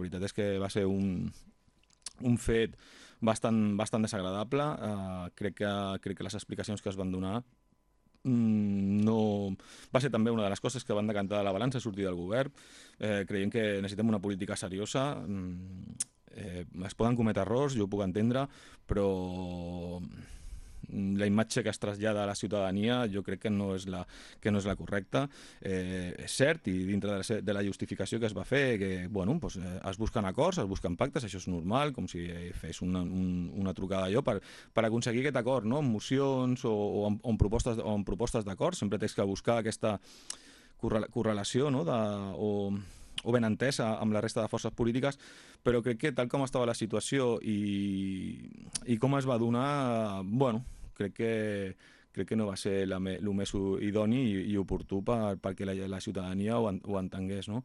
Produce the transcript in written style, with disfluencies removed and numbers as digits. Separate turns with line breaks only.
La veritat és que va ser un fet bastant desagradable. Crec que les explicacions que es van donar no... Va ser també una de les coses que van decantar la balança a sortir del govern. Creiem que necessitem una política seriosa. Es poden cometre errors, jo ho puc entendre, però la imatge que es trasllada a la ciutadania jo crec que no és la correcta. És cert, i dintre de la justificació que es va fer, que bueno, doncs, es busquen acords, es busquen pactes, això és normal, com si fes una trucada allò per aconseguir aquest acord, no? En mocions o en propostes d'acord, sempre tens que buscar aquesta correlació, no? O ben entesa amb la resta de forces polítiques, però crec que tal com estava la situació i com es va donar, bueno, crec que no va ser el més idoni i oportú perquè la ciutadania ho entengués, no?